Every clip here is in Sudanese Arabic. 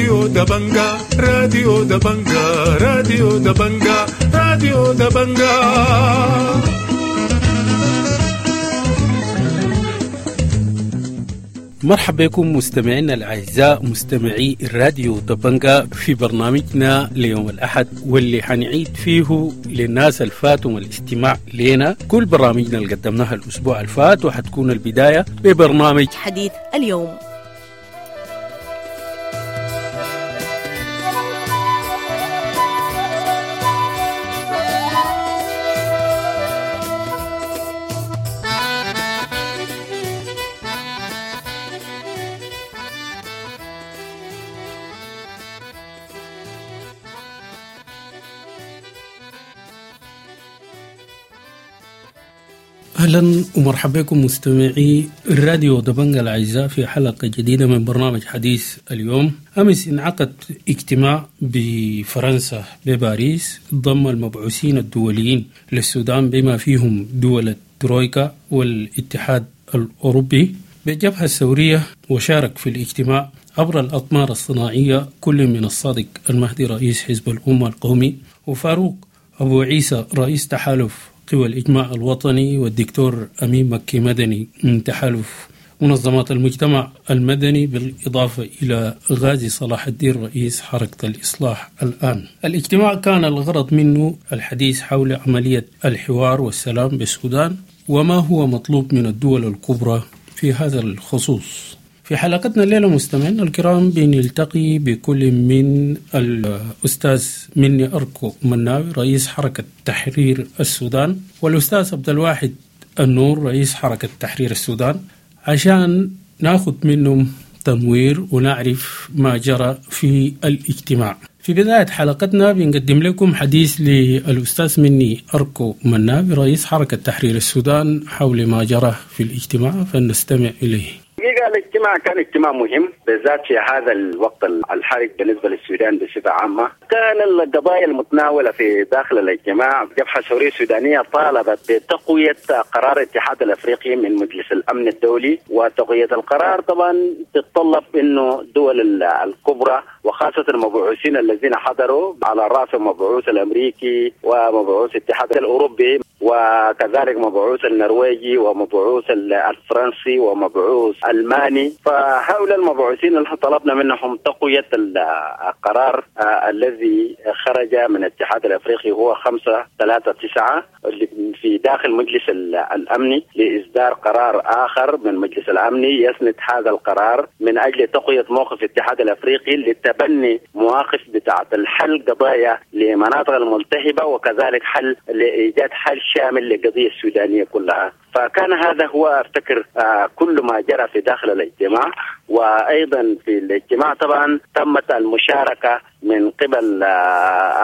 راديو دبنجا، راديو دبنجا، راديو دبنجا، راديو دبنجا. مرحبا بكم مستمعينا الأعزاء مستمعي الراديو دبنجا في برنامجنا ليوم الأحد، واللي حنعيد فيه للناس الفاتهم الاستماع لنا كل برامجنا اللي قدمناها الأسبوع الفات، وحتكون البداية ببرنامج حديث اليوم. أهلا ومرحبا بكم مستمعي الراديو دبنجا الأعزاء في حلقة جديدة من برنامج حديث اليوم. أمس انعقد اجتماع بفرنسا بباريس ضم المبعوثين الدوليين للسودان بما فيهم دول الترويكا والاتحاد الأوروبي بالجبهة الثورية، وشارك في الاجتماع عبر الأقمار الصناعية كل من الصادق المهدي رئيس حزب الأمة القومي، وفاروق أبو عيسى رئيس تحالف قوى الإجماع الوطني، والدكتور أمين مكي مدني من تحالف منظمات المجتمع المدني، بالإضافة إلى غازي صلاح الدين رئيس حركة الإصلاح الآن. الاجتماع كان الغرض منه الحديث حول عملية الحوار والسلام بالسودان وما هو مطلوب من الدول الكبرى في هذا الخصوص. في حلقتنا الليلة مستمعينا الكرام بنلتقي بكل من الأستاذ مني أركو مناوي رئيس حركة تحرير السودان، والأستاذ عبد الواحد النور رئيس حركة تحرير السودان، عشان ناخذ منهم تنوير ونعرف ما جرى في الاجتماع. في بداية حلقتنا بنقدم لكم حديث للأستاذ مني أركو مناوي رئيس حركة تحرير السودان حول ما جرى في الاجتماع، فلنستمع إليه. الاجتماع كان اجتماع مهم بالذات في هذا الوقت الحرج بالنسبة للسودان بصفة عامة. كان القضايا المتناولة في داخل الاجتماع، الجبهة الثورية السودانية طالبت بتقوية قرار الاتحاد الافريقي من مجلس الامن الدولي، وتقوية القرار طبعا تتطلب انه الدول الكبرى وخاصة المبعوثين الذين حضروا على رأس المبعوث الامريكي ومبعوث الاتحاد الاوروبي وكذلك مبعوث النرويجي ومبعوث الفرنسي ومبعوث الألماني، فهؤلاء المبعوثين اللي طلبنا منهم تقوية القرار الذي خرج من الاتحاد الأفريقي هو 539 في داخل مجلس الأمن لإصدار قرار آخر من مجلس الأمن يسند هذا القرار من أجل تقوية موقف الاتحاد الأفريقي لتبني مواقف بتاعة الحل قضايا لمناطق الملتهبة وكذلك حل لإيجاد حل شامل للقضية السودانية كلها. فكان هذا هو أفتكر كل ما جرى في داخل الاجتماع. وأيضا في الاجتماع طبعا تمت المشاركة من قبل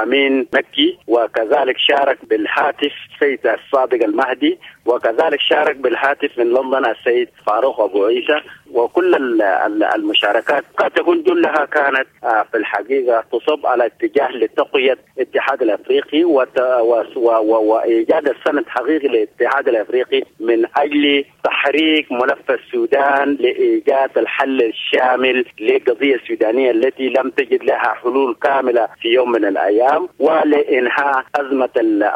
أمين مكي، وكذلك شارك بالهاتف السيد الصادق المهدي، وكذلك شارك بالهاتف من لندن السيد فاروق أبو عيسى. وكل المشاركات قد تكون كلها كانت في الحقيقة تصب على اتجاه لتقوية الاتحاد الأفريقي وإيجاد السند حقيقي للاتحاد الأفريقي من أجل تحريك ملف السودان لإيجاد الحل الشامل للقضية السودانية التي لم تجد لها حلول كاملة في يوم من الأيام، ولإنهاء أزمة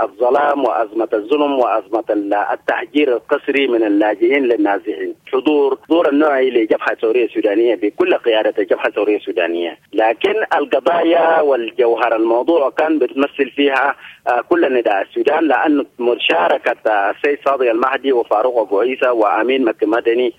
الظلام وأزمة الظلم وأزمة التهجير القسري من اللاجئين للنازحين. حضور دور النوعي لجبهة الثورية السودانية بكل قيادة الجبهة الثورية السودانية، لكن القضايا والجوهر الموضوع كان بتمثل فيها كل نداء السودان، لأن مشاركة السيد صادق المهدي وفاروق أبو عيسى وأمين مكي مدني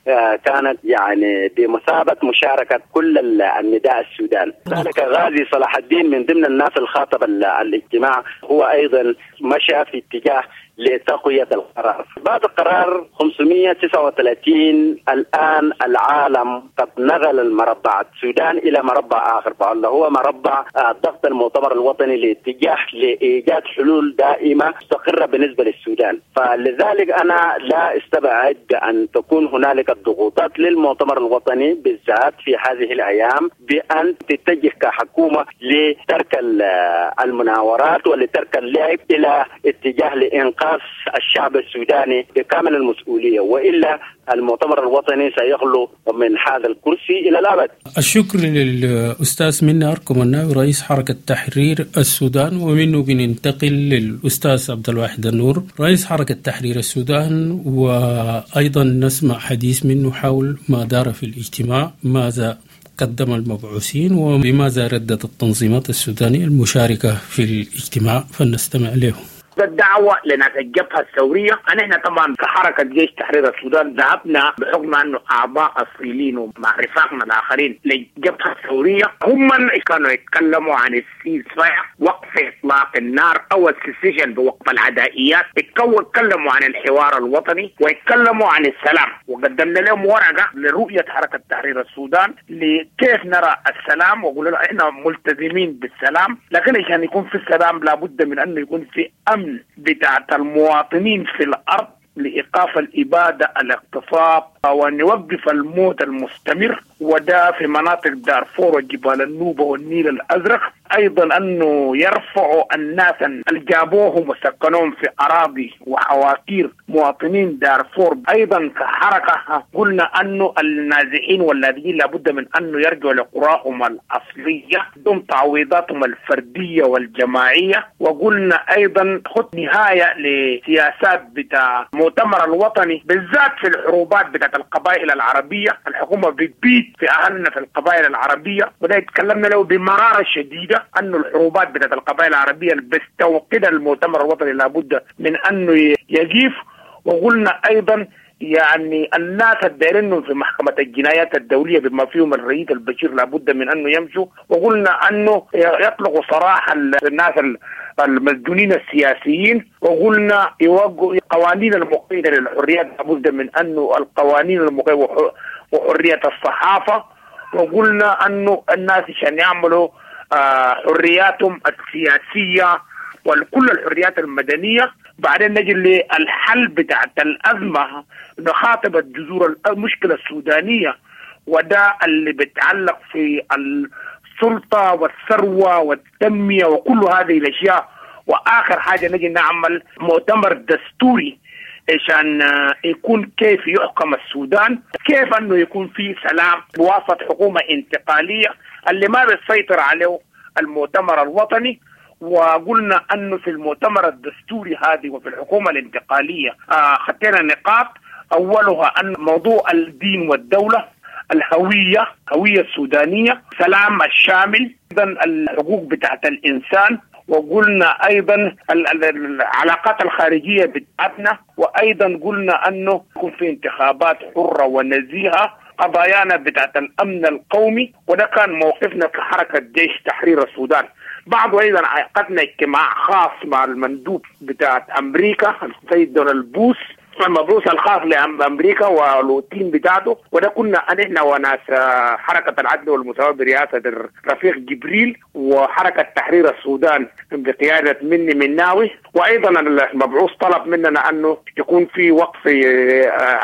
كانت يعني بمثابة مشاركة كل النداء السودان. ذلك غازي صلاح الدين من ضمن الناس الخاطب الاجتماع هو أيضا مشى في اتجاه لتقوية القرار. بعد قرار 539 الآن العالم قد نقل المربع السودان إلى مربع آخر، فالله هو مربع ضغط المؤتمر الوطني لاتجاه لإيجاد حلول دائمة مستقرة بالنسبة للسودان. فلذلك أنا لا استبعد أن تكون هنالك الضغوطات للمؤتمر الوطني بالذات في هذه الأيام بأن تتجه كحكومة لترك المناورات ولترك اللعب إلى اتجاه لإنقاذ راس الشعب السوداني بكامل المسؤولية، وإلا المؤتمر الوطني سيخلو من هذا الكرسي إلى الأبد. الشكر للأستاذ مني أركو مناوي رئيس حركة تحرير السودان، ومنه بننتقل للأستاذ عبد الواحد النور رئيس حركة تحرير السودان، وأيضا نسمع حديث منه حول ما دار في الاجتماع، ماذا قدم المبعوثين وبماذا ردت التنظيمات السودانية المشاركة في الاجتماع، فلنستمع له. الدعوة لناس الجبهة الثورية، نحن طبعا كحركة جيش تحرير السودان ذهبنا بحكم أنه أعضاء أصيلين ومع رفاقنا الآخرين للجبهة الثورية، هم كانوا يتكلموا عن ال ceasefire، وقف إطلاق النار أو ال cessation بوقف العدائيات، يتكلموا عن الحوار الوطني ويتكلموا عن السلام، وقدمنا لهم ورقة لرؤية حركة تحرير السودان لكيف نرى السلام، وقلنا لهم احنا ملتزمين بالسلام، لكن عشان يكون في السلام لابد من أنه يكون في أمن بتاعت المواطنين في الأرض لإيقاف الإبادة، الاغتصاب، وأن يوقف الموت المستمر، وده في مناطق دارفور وجبال النوبة والنيل الأزرق. أيضا أنه يرفعوا الناس اللي جابوهم وسكنوهم في أراضي وحواكير مواطنين دارفور. أيضا كحركة قلنا أنه النازحين واللاجئين لابد من أنه يرجعوا لقراهم الأصلية دون تعويضاتهم الفردية والجماعية. وقلنا أيضا خط نهاية لسياسات بتاع المؤتمر الوطني بالذات في الحروبات بتاعت القبائل العربية، الحكومة بتبيت في أهلنا في القبائل العربية، وده يتكلمنا له بمرارة شديدة أنه الحروبات بتاعت القبائل العربية اللي بيستوقدها المؤتمر الوطني لابد من أنه يجيف. وقلنا أيضا يعني الناس الدايرينهم في محكمة الجنايات الدولية بما فيهم الرئيس البشير لابد من أنه يمشوا. وقلنا أنه يطلقوا سراح الناس المسجونين السياسيين. وقلنا يوقعوا قوانين المقيدة للحريات، لابد من أنه القوانين المقيدة وحرية الصحافة. وقلنا أنه الناس عشان يعملوا حرياتهم السياسية وكل الحريات المدنية. بعدين نجي للحل بتاعت الأزمة، نخاطب الجذور المشكلة السودانية، وده اللي بيتعلق في السلطة والثروة والتنمية وكل هذه الأشياء. وآخر حاجة نجي نعمل مؤتمر دستوري عشان يكون كيف يحكم السودان، كيف أنه يكون في سلام بواسطة حكومة انتقالية اللي ما بيسيطر عليه المؤتمر الوطني. وقلنا أنه في المؤتمر الدستوري هذه وفي الحكومة الانتقالية خطينا نقاط، أولها أن موضوع الدين والدولة، الهوية، هوية السودانية، سلام الشامل، أيضا الحقوق بتاعت الإنسان، وقلنا أيضا العلاقات الخارجية بتاعتنا، وأيضا قلنا أنه يكون في انتخابات حرة ونزيهة، قضايانا بتاعت الأمن القومي. وده كان موقفنا كحركة جيش تحرير السودان. بعد أيضا عقدنا اجتماع خاص مع المندوب بتاعت أمريكا السيد دونالد بوس، المبعوث الخاص لأمريكا وال team بتاعته، وده كنا نحن وناس حركة العدل والمساواة برئاسة الرفيق جبريل، وحركة تحرير السودان بقيادة مني مناوي. وأيضا المبعوث طلب مننا أنه يكون في وقف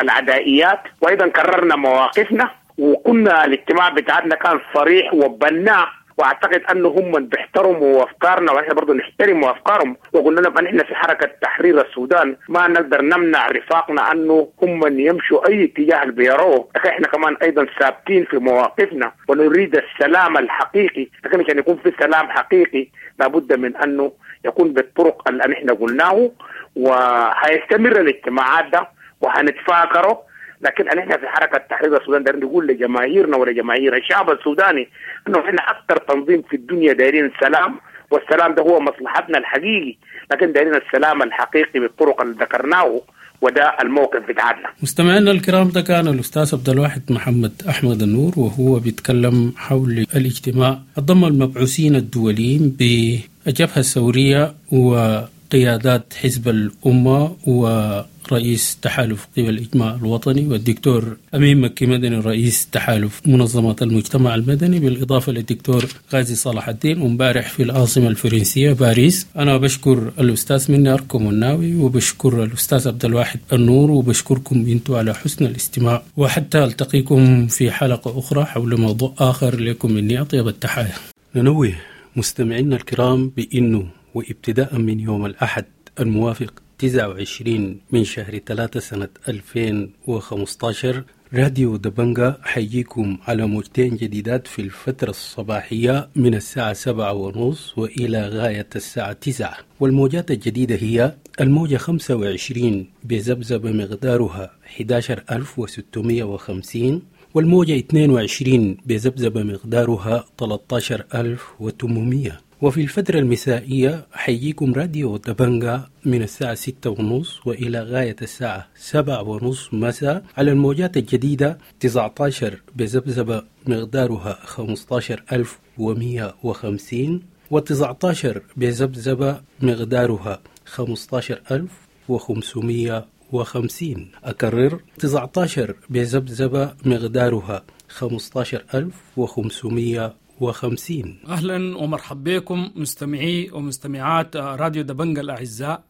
العدائيات، وأيضا كررنا مواقفنا، وكنا الاجتماع بتاعتنا كان صريح وبناء، واعتقد انه هم بيحترموا افكارنا واحنا برضه نحترم افكارهم. وقلنا لهم ان احنا في حركه تحرير السودان ما نقدر نمنع رفاقنا انه هم يمشوا اي اتجاه اللي بيروه، لكن احنا كمان ايضا ثابتين في مواقفنا ونريد السلام الحقيقي. لكن عشان يكون في سلام حقيقي لابد من انه يكون بالطرق اللي احنا قلناه، وهيستمر الاجتماعات ده وهنتفاكره. لكن احنا في حركه تحرير السودان دايرين نقول لجماهيرنا ولجماهير الشعب السوداني انه احنا اكثر تنظيم في الدنيا دايرين سلام، والسلام ده هو مصلحتنا الحقيقي، لكن دايرين السلام الحقيقي بالطرق اللي ذكرناه، وده الموقف بتاعنا. مستمعينا الكرام، ده كان الاستاذ عبد الواحد محمد احمد النور وهو بيتكلم حول الاجتماع ضم المبعوثين الدوليين بالجبهه الثوريه وقيادات حزب الامه ورئيس تحالف قوى الإجماع الوطني، والدكتور أمين مكي مدني رئيس تحالف منظمات المجتمع المدني، بالإضافة للدكتور غازي صلاح الدين، ومبارح في العاصمة الفرنسية باريس. أنا بشكر الأستاذ مني أركو مناوي، وبشكر الأستاذ عبد الواحد النور، وبشكركم أنتم على حسن الاستماع، وحتى ألتقيكم في حلقة أخرى حول موضوع آخر. لكم مني أطيب التحايا. ننوه مستمعينا الكرام بأنه وابتداء من يوم الأحد الموافق 29 من شهر 3 سنة 2015. راديو دبنجا حيجيكم على موجتين جديدات في الفترة الصباحية من الساعة 7:30 وإلى غاية الساعة 9، والموجات الجديدة هي الموجة 25 بذبذبة مقدارها 11650، والموجة 22 بذبذبة مقدارها 13800. وفي الفترة المسائية حيجيكم راديو دبنجا من الساعة 6:30 وإلى غاية الساعة 7:30 مساء على الموجات الجديدة 19 بذبذبة مقدارها 15150، و19 بذبذبة مقدارها 15550. أكرر، 19 بذبذبة مقدارها 15550. أهلا ومرحبا بكم مستمعي ومستمعات راديو دبنجا الأعزاء.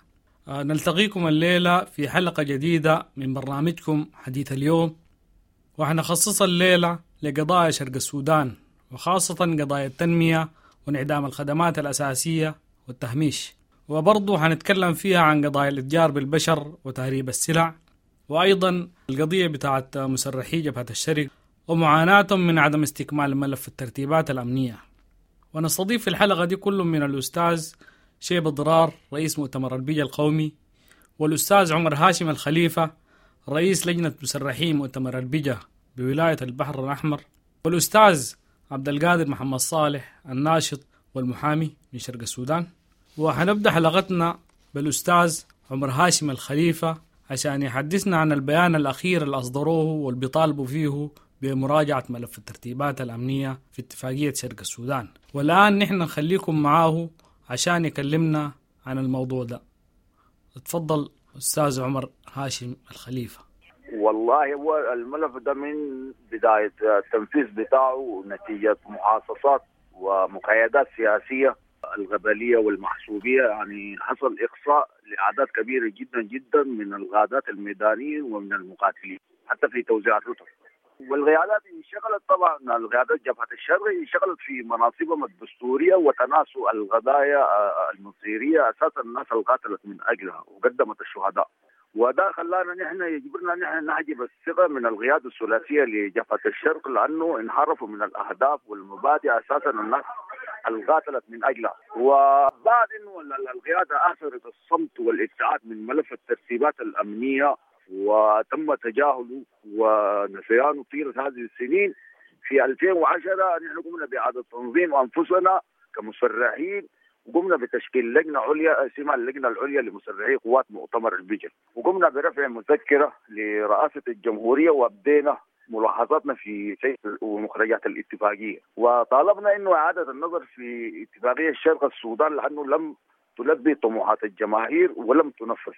نلتقيكم الليلة في حلقة جديدة من برنامجكم حديث اليوم، وحنخصص الليلة لقضايا شرق السودان، وخاصة قضايا التنمية وانعدام الخدمات الأساسية والتهميش، وبرضه حنتكلم فيها عن قضايا الاتجار بالبشر وتهريب السلع، وأيضا القضية بتاعت مسرحي جبهة الشرق ومعاناتهم من عدم استكمال ملف الترتيبات الأمنية. ونستضيف في الحلقة دي كل من الأستاذ شيب ضرار رئيس مؤتمر البيجا القومي، والأستاذ عمر هاشم الخليفة رئيس لجنة مسرحي مؤتمر البيجا بولاية البحر الأحمر، والأستاذ عبد القادر محمد صالح الناشط والمحامي من شرق السودان. وحنبدأ حلقتنا بالأستاذ عمر هاشم الخليفة عشان يحدثنا عن البيان الأخير اللي أصدروه واللي بيطالبوا فيه بمراجعة ملف الترتيبات الأمنية في اتفاقية شرق السودان. والآن نحن نخليكم معاه عشان يكلمنا عن الموضوع ده. اتفضل أستاذ عمر هاشم الخليفة. والله هو الملف ده من بداية التنفيذ بتاعه نتيجة محاصصات ومقايدات سياسية الغبلية والمحسوبية، يعني حصل إقصاء لأعداد كبيرة جدا جدا من الغادات الميدانيين ومن المقاتلين حتى في توزيع الرتب. والقيادات انشغلت طبعا، القيادات جبهة الشرق انشغلت في مناصبهم الدستورية وتناسوا القضايا المصيرية أساسا الناس اللي قاتلت من أجلها وقدمت الشهداء، وده خلانا نحن يجبرنا نحن نحجب الثقة من القيادة الثلاثية لجبهة الشرق، لأنه انحرفوا من الأهداف والمبادئ أساسا الناس اللي قاتلت من أجلها. وبعد إنه القيادة آثرت الصمت والابتعاد من ملف الترتيبات الأمنية وتم تجاهله ونسيانه طيلة هذه السنين، في 2010 نحن قمنا بإعادة تنظيم أنفسنا كمسرحين، وقمنا بتشكيل لجنة عليا اسمها اللجنة العليا لمسرحي قوات مؤتمر البجا، وقمنا برفع مذكرة لرئاسة الجمهورية وابدينا ملاحظاتنا في سير ومخرجات الاتفاقية، وطالبنا انه إعادة النظر في اتفاقية شرق السودان لأنه لم تلبي طموحات الجماهير ولم تنفذ.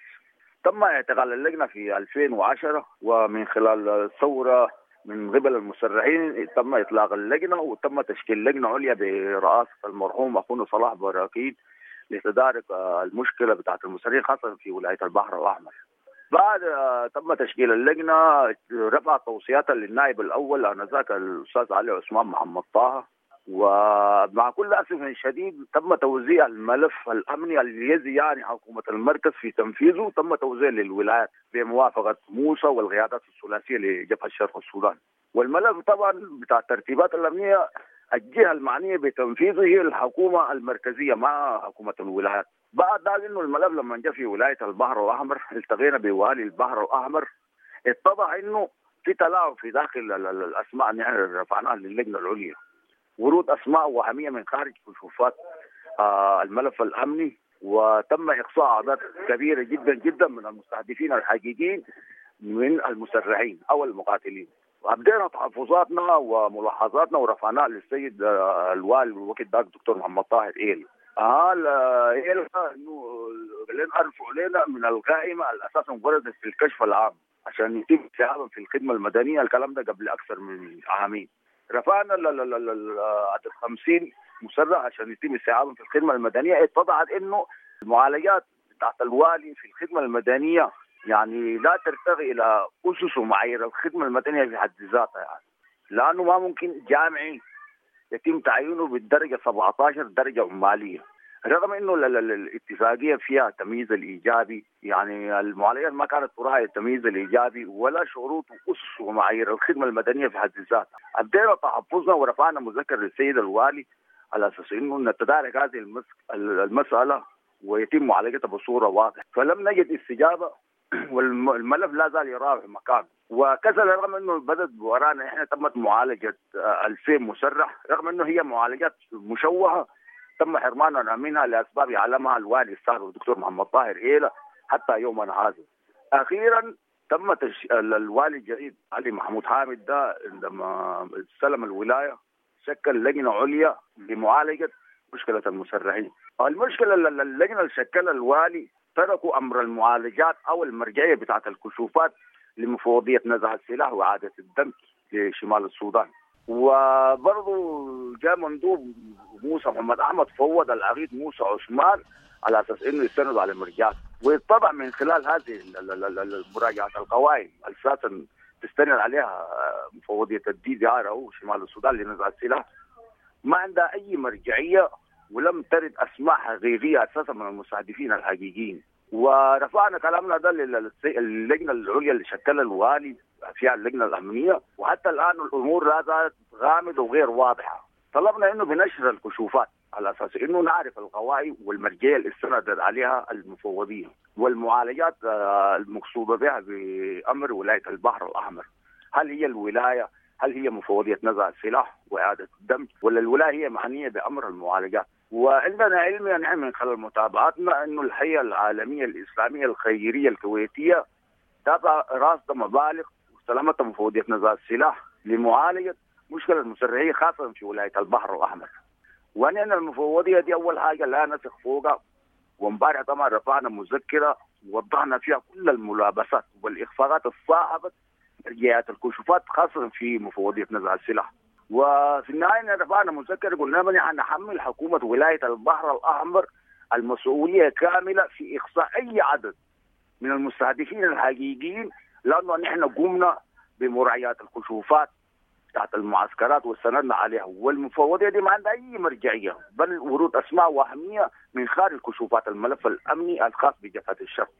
تم اعتقال اللجنة في 2010، ومن خلال الثورة من قبل المسرحين تم إطلاق اللجنة، وتم تشكيل لجنة عليا برئاسة المرحوم أخونا صلاح براكين لتدارك المشكلة بتاعت المسرحين خاصة في ولاية البحر الأحمر. بعد تم تشكيل اللجنة رفع توصياتها للنائب الأول آنذاك الأستاذ علي عثمان محمد طه، ومع كل أسف شديد تم توزيع الملف الأمني الذي يعني حكومة المركز في تنفيذه، تم توزيع للولايات بموافقة موسى والقيادات الثلاثية لجبهة شرق السودان. والملف طبعا بتاع الترتيبات الأمنية الجهة المعنية بتنفيذه هي الحكومة المركزية مع حكومة الولايات. بعد ذلك إنه الملف لما جاء في ولاية البحر الأحمر التقينا بوالي البحر الأحمر، اتضح إنه في تلاعب في داخل الأسماء اللي نحن رفعناها للجنة العليا، ورود أسماء وهمية من خارج كشوفات الملف الأمني، وتم إقصاء أعداد كبيرة جدا جدا من المستهدفين الحقيقيين من المسرحين أو المقاتلين. وأبدينا تحفظاتنا وملاحظاتنا ورفعناها للسيد الوالي الوقت ذاك دكتور محمد طاهر إيل. إيل إنه لين أرفعوا لنا من القائمة الأساس وردت في الكشف العام عشان يتم استيعابهم في الخدمة المدنية. الكلام ده قبل أكثر من عامين. رفعنا عدد 50 مسرح عشان يتم استيعابهم في الخدمة المدنية. اتضحت إنه المعالجات بتاعت الوالي في الخدمة المدنية يعني لا ترتقي إلى أسس ومعايير الخدمة المدنية في حد ذاتها، يعني لأنه ما ممكن جامعي يتم تعيينه بالدرجة 17 درجة عمالية. رغم انه الاتفاقية فيها التمييز الايجابي، يعني المعالجات ما كانت تراعي التمييز الايجابي ولا شروط واسس ومعايير الخدمة المدنية في حد ذاتها. ابدينا تحفظنا ورفعنا مذكر للسيد الوالي على اساس انه نتدارك هذه المسالة ويتم معالجتها بصورة واضحة، فلم نجد استجابة والملف لا زال يراوح مكانه. وكذا رغم انه بدت ورانا احنا تمت معالجة 2000 مسرح، رغم انه هي معالجات مشوهة تم حرماننا منها لاسباب يعلمها الوالي السابق الدكتور محمد طاهر ايلا حتى يومنا هذا. اخيرا تم الوالي الجديد علي محمود حامد ده عندما استلم الولاية شكل لجنة عليا لمعالجة مشكلة المسرحين. المشكلة اللجنة اللي شكلها الوالي تركوا امر المعالجات او المرجعية بتاعت الكشوفات لمفوضيه نزع السلاح واعاده الدم لشمال السودان. وبرضه جاء مندوب موسى محمد احمد فوض العقيد موسى عثمان على اساس انه يستند على المرجعات، ويتضح من خلال هذه مراجعه القوائم اساسا تستند عليها مفوضيه ال DDR او شمال السودان لنزع السلاح ما عندها اي مرجعية، ولم ترد اسماء حقيقية اساسا من المستهدفين الحقيقيين. ورفعنا كلامنا ده للجنة العليا اللي شكلها الوالي فيها اللجنة الامنية، وحتى الان الامور لا زالت غامضة وغير واضحة. طلبنا انه بنشر الكشوفات على اساس انه نعرف القوائم والمرجعيه اللي استندت عليها المفوضية والمعالجات المقصودة بها بامر ولاية البحر الاحمر. هل هي الولاية؟ هل هي مفوضيه نزع السلاح واعاده الدم؟ ولا الولاية هي معنية بامر المعالجات؟ وعندنا علم يعني من خلال متابعتنا انه الهيئة العالمية الاسلامية الخيرية الكويتية تابع راصده مبالغ واستلمتها مفوضيه نزع السلاح لمعالجة مشكلة المسرحين خاصة في ولاية البحر الاحمر. ونحن المفوضية دي اول حاجة لا نثق فوقها، وامبارح طبعا رفعنا مذكره ووضحنا فيها كل الملابسات والاخفاقات الصاحبة مرجعيات الكشوفات خاصة في مفوضيه نزع السلاح. وفي النهاية رفعنا مذكره قلنا نحن نحمل حكومة ولاية البحر الاحمر المسؤولية كاملة في اقصاء اي عدد من المستهدفين الحقيقيين، لانه نحن قمنا بمراعاه الكشوفات تحت المعسكرات واستندنا عليها، والمفوضيه دي ما عندها اي مرجعية، بل ورود اسماء وهمية من خارج كشوفات الملف الامني الخاص بجبهه الشرق.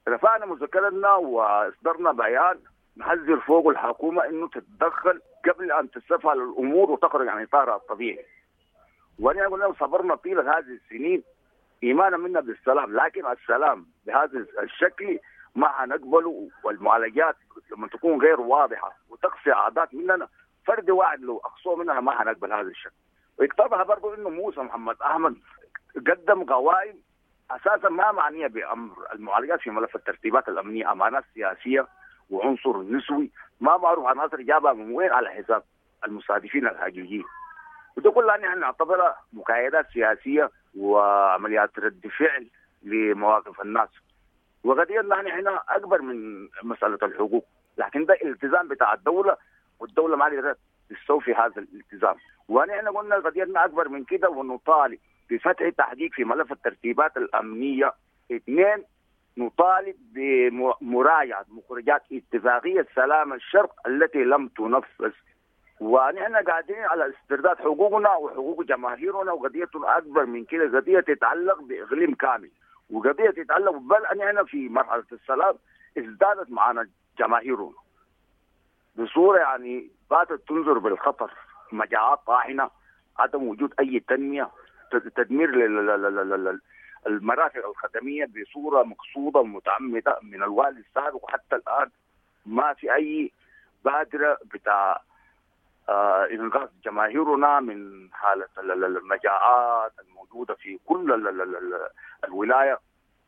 رفعنا مذكرتنا واصدرنا بيان نحذر فوق الحكومة انه تتدخل قبل ان تستفعل الامور وتخرج عن اطارها الطبيعي. ونحن قلنا صبرنا طيلة هذه السنين ايمانا منا بالسلام، لكن السلام بهذا الشكل ما حنقبله، والمعالجات لما تكون غير واضحة وتقصي اعداد مننا فرد واحد لو اقصوه مننا ما حنقبل هذا الشكل. ويقتضى برضه انه موسى محمد احمد قدم قوائم اساسا ما معنية بامر المعالجات في ملف الترتيبات الامنية، امانات سياسية وعنصر نسوي ما معروف عناصر جابها من وين على حساب المستهدفين الحقيقيين. وده كلها نحن نعتبرها مكايدات سياسية وعمليات رد فعل لمواقف الناس. وقضيتنا نحن اكبر من مسالة الحقوق، لكن ده التزام بتاع الدولة، والدولة ما قدرت تستوفي هذا الالتزام. ونحن قلنا قضيتنا اكبر من كده، ونطالب بفتح تحقيق في ملف الترتيبات الامنية. 2، نطالب بمراجعه مخرجات اتفاقية سلام الشرق التي لم تنفذ. ونحن قاعدين على استرداد حقوقنا وحقوق جماهيرنا، وقضيتنا اكبر من كده، قضية تتعلق باقليم كامل، وقضية تتعلق بل نحن في مرحلة السلام ازدادت معنا جماهيرنا بصورة يعني باتت تنظر بالخطر، مجاعات طاحنة، عدم وجود اي تنمية، تدمير المرافق الخدميه بصورة مقصوده ومتعمده من الوالي السابق، وحتى الان ما في اي بادره بتاع انقاذ جماهيرنا من حاله المجاعات الموجودة في كل الولاية.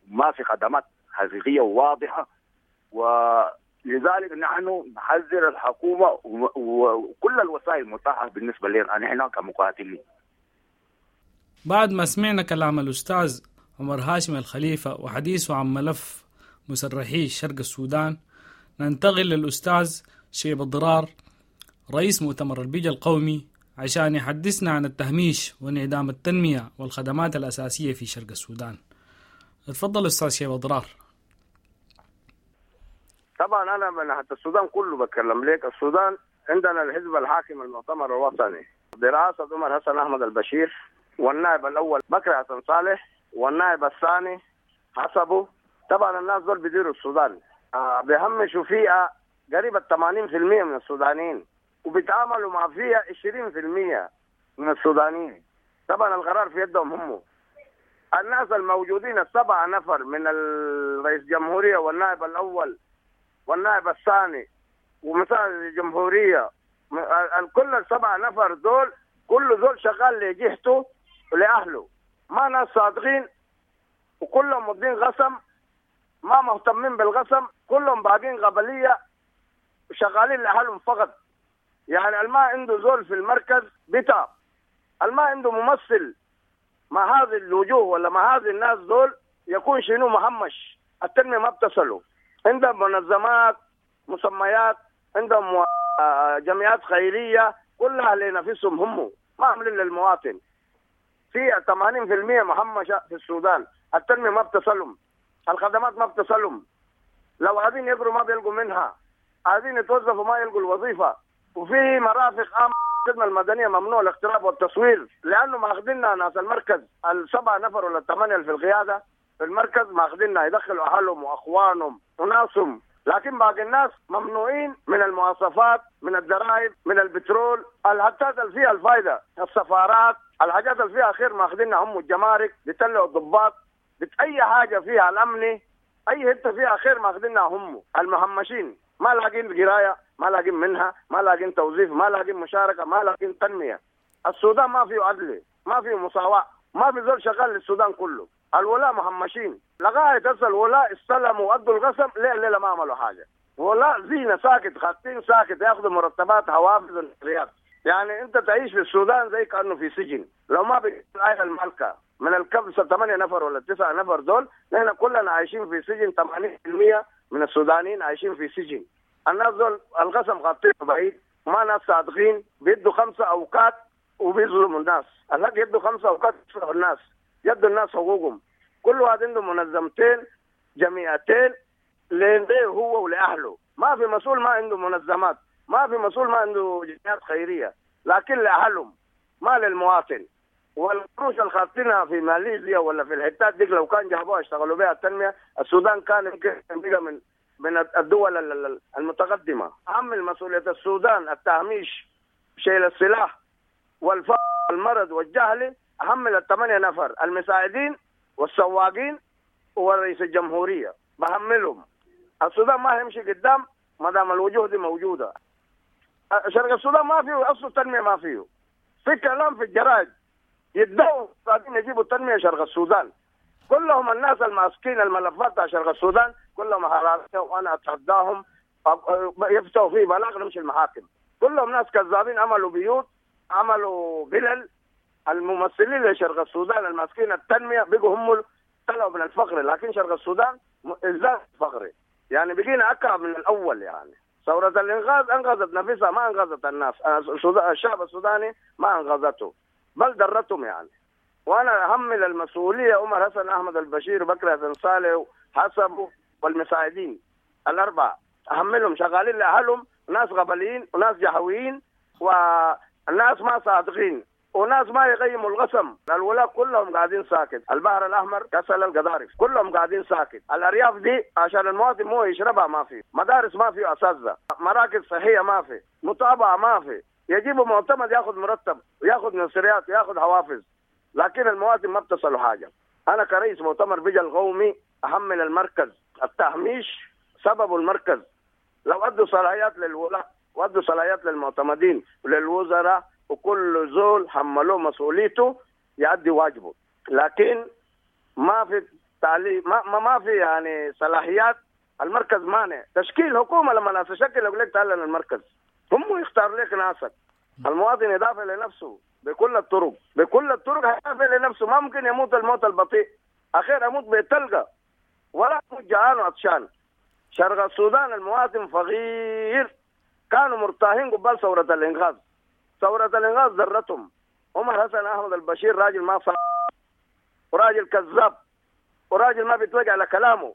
ما في خدمات حقيقية وواضحة، ولذلك نحن نحذر الحكومة وكل الوسائل المتاحة بالنسبة لنا نحن كمقاتلين. بعد ما سمعنا كلام الأستاذ عمر هاشم الخليفة وحديثه عن ملف مسرحي شرق السودان، ننتقل للأستاذ شيب الضرار رئيس مؤتمر البيجا القومي عشان يحدثنا عن التهميش وانعدام التنمية والخدمات الأساسية في شرق السودان. اتفضل أستاذ شيب الضرار. طبعا أنا من حتى السودان كله بتكلم لك. السودان عندنا الحزب الحاكم المؤتمر الوطني برئاسة عمر حسن أحمد البشير، والنائب الاول بكري حسن صالح والنائب الثاني حسبه. طبعا الناس دول بيديروا السودان، بيهمشوا فئة قريبه 80% من السودانيين، وبيتعاملوا مع فئة 20% من السودانيين. طبعا القرار في يدهم هم. الناس الموجودين السبعة نفر من الرئيس الجمهورية والنائب الأول والنائب الثاني ومساعد الجمهورية، كل السبعة نفر دول كل زول شغال لجهته ولأهله، ما ناس صادقين، وكلهم مدين قسم، ما مهتمين بالقسم، كلهم باقين قبلية وشغالين لأهلهم فقط. يعني ما عنده زول في المركز بتاع، ما عنده ممثل مع هذه الوجوه ولا مع هذه الناس دول يكون شنو مهمش. التنمية ما بتصلوا. عندهم منظمات مسميات، عندهم جمعيات خيرية، كلها لنفسهم هم، ما عاملين للمواطن. في 80% مهمشة في السودان، التنمية ما بتصلهم، الخدمات ما بتصلهم. لو عايزين يقروا ما بيلقوا منها، عايزين يتوظفوا ما يلقوا الوظيفة. وفي مرافق عامة الخدمة المدنية ممنوع الاقتراب والتصوير، لأنه ماخذيننا ناس المركز السبعة نفر ولا الثمانية في القيادة في المركز، ماخذيننا يدخلوا أهلهم وأخوانهم وناسهم، لكن باقي الناس ممنوعين من المواصفات، من الضرائب، من البترول، الحاجات اللي فيها الفايدة، السفارات، الحاجات اللي فيها خير ماخذينها هم. الجمارك بيطلعوا الضباط، أي حاجة فيها الأمني، أي حتة فيها خير ماخذينها هم. المهمشين ما لاقين قراية، ما لاقين منها، ما لاقين توظيف، ما لاقين مشاركة، ما لاقين تنمية. السودان ما فيه عدل، ما فيه مساواة، ما في زول شغال للسودان كله. الولاء مهمشين لغاية هسه. الولاء استلموا وأدوا القسم، ليه الليلة ما عملوا حاجة. ولاء زينة ساكت، خاطين ساكت، ياخذوا مرتبات حوافز ونقليات. يعني أنت تعيش في السودان زي كأنه في سجن. لو ما بقى الملكة من الكبسة 8 نفر ولا 9 نفر دول، نحن كلنا عايشين في سجن. 80% من السودانيين عايشين في سجن. الناس دول القسم غطيه بعيد، ما ناس صادقين، بيدوا 5 أوقات وبيظلموا الناس. الحق يدوا 5 أوقات يظلموا الناس، يدوا الناس حقوقهم. كل واحد عنده منظمتين جمعيتين ليه هو ولأهله. ما في مسؤول ما عنده منظمات، ما في مسؤول ما عنده جمعيات خيرية، لكن لأهلهم ما للمواطن. والقروش اللي خاطينها في ماليزيا ولا في الحتات دي لو كان جابوها اشتغلوا بها التنمية، السودان كان يمكن بقى من الدول المتقدمة. أهم مسؤولية السودان التهميش، شيل السلاح والفقر والمرض والجهل، أهم ال8 نفر المساعدين والسواقين ورئيس الجمهورية، بهملهم. السودان ما هيمشي قدام ما دام الوجوه دي موجودة. شرق السودان ما فيه أصل تنمية، ما فيه. في كلام في الجرائد يدعوا قاعدين يجيبوا التنمية شرق السودان. كلهم الناس الماسكين الملفات تاع شرق السودان كلهم حرامية، وانا اتحداهم يفتحوا فيه بلاغ نمشي المحاكم. كلهم ناس كذابين، عملوا بيوت، عملوا بلل. الممثلين لشرق السودان الماسكين التنمية بقوا هم طلعوا من الفقر، لكن شرق السودان ازداد فقري، يعني بقينا اكعب من الاول. يعني ثورة الانغاز انغزت نفسها، ما انغزت الناس، الشعب السوداني ما انغزته، بل درتهم يعني. وانا احمل المسؤولية عمر حسن احمد البشير وبكر حسن صالح وحسبه والمساعدين الاربعة، احملهم شغالين لاهلهم، ناس قبليين وناس جهويين والناس ما صادقين وناس ما يقيموا القسم. الولاء كلهم قاعدين ساكت، البحر الاحمر، كسل، القضارف كلهم قاعدين ساكت. الارياف دي عشان المواطن مو يشربها ما في، مدارس ما في، اساتذة، مراكز صحية ما في، متابعه ما في. يجيبوا معتمد ياخذ مرتب وياخذ نصريات وياخذ حوافز، لكن المواطن ما بتصلوا حاجة. انا كرئيس مؤتمر بجا القومي احمل المركز التهميش، سببه المركز. لو ادوا صلاحيات للولاء وادوا صلاحيات للمعتمدين وللوزراء وكل زول حملوه مسؤوليته يؤدي واجبه، لكن ما في تعليم، ما في يعني صلاحيات. المركز مانع تشكيل حكومة. لما ناس تشكل يقول لك تعال للمركز، هم يختار لك ناسك. المواطن يدافع لنفسه بكل الطرق، بكل الطرق هيدافع لنفسه. ما ممكن يموت الموت البطيء، اخير اموت بتلقى ولا اموت جعان وعطشان. شرق السودان المواطن فقير، كانوا مرتاحين قبال ثورة الإنقاذ. ثورة الإنقاذ ذرتهم. عمر حسن أحمد البشير راجل ما صار، وراجل كذاب، وراجل ما بيتوجع على كلامه،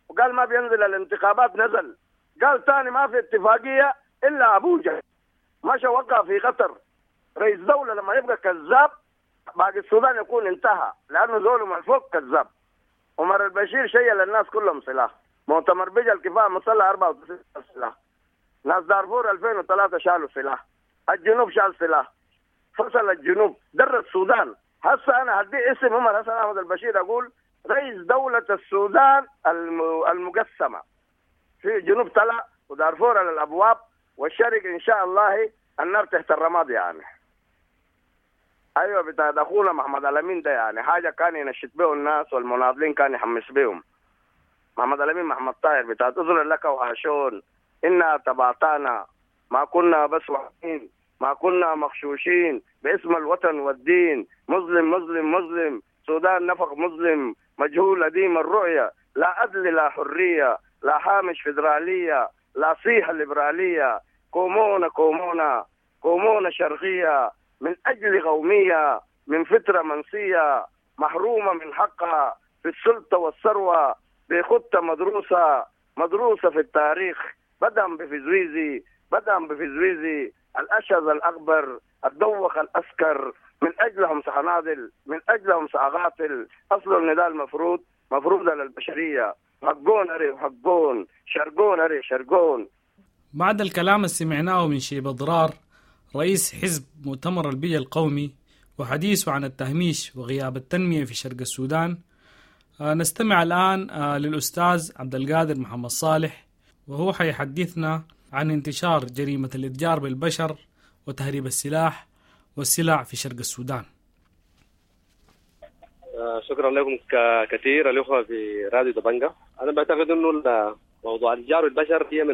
وقال ما بينزل الانتخابات نزل. قال تاني ما في اتفاقية إلا أبوجا، مشى وقع في قطر. رئيس دولة لما يبقى كذاب باقي السودان يكون انتهى، لأنه زول من فوق كذاب. عمر البشير شيل الناس كلهم سلاح، مؤتمر بيجا الكفاية مسلح 94 سلاح، ناس دارفور 2003 شالوا سلاح، الجنوب شال سلاح، فصل الجنوب، در السودان. هسه أنا هدي اسم عمر حسن أحمد البشير، أقول رئيس دولة السودان المقسمة، في جنوب طلع ودارفور على الأبواب، والشرق إن شاء الله النار تحت الرماد يعني. أيوة بتاع أخونا محمد الأمين ده يعني حاجة كان ينشط به الناس والمناضلين كان يحمس بهم. محمد الأمين محمد طاهر بتاع أذن لك وهاشون، إنا تبعتانا ما كنا بس وحين، ما كنا مغشوشين باسم الوطن والدين، مظلم مظلم مظلم، سودان نفق مظلم، مجهول أديم الرؤية، لا عدل لا حرية، لا حامش فدرالية، لا صيحة ليبرالية، كومونا كومونا كومونا شرقية، من أجل قومية، من فترة منسية، محرومة من حقها في السلطة والثروة، بخطة مدروسة مدروسة في التاريخ، بدأ بفزويزي بدأ بفزويزي، الأشهر الأكبر، الدوخ الأسكر، من أجلهم سأناضل، من أجلهم سأقاتل، أصل النداء المفروض مفروض على البشرية، حقون أري حقون، شرقون أري شرقون. بعد الكلام اللي سمعناه من شيبة ضرار رئيس حزب مؤتمر البيئة القومي وحديثه عن التهميش وغياب التنمية في شرق السودان، نستمع الآن للأستاذ عبد القادر محمد صالح، وهو حيحدثنا عن انتشار جريمة الإتجار بالبشر وتهريب السلاح والسلع في شرق السودان. شكرا لكم كثير الأخوة في راديو دبنجة. أنا بعتقد أنه موضوع الإتجار بالبشر هي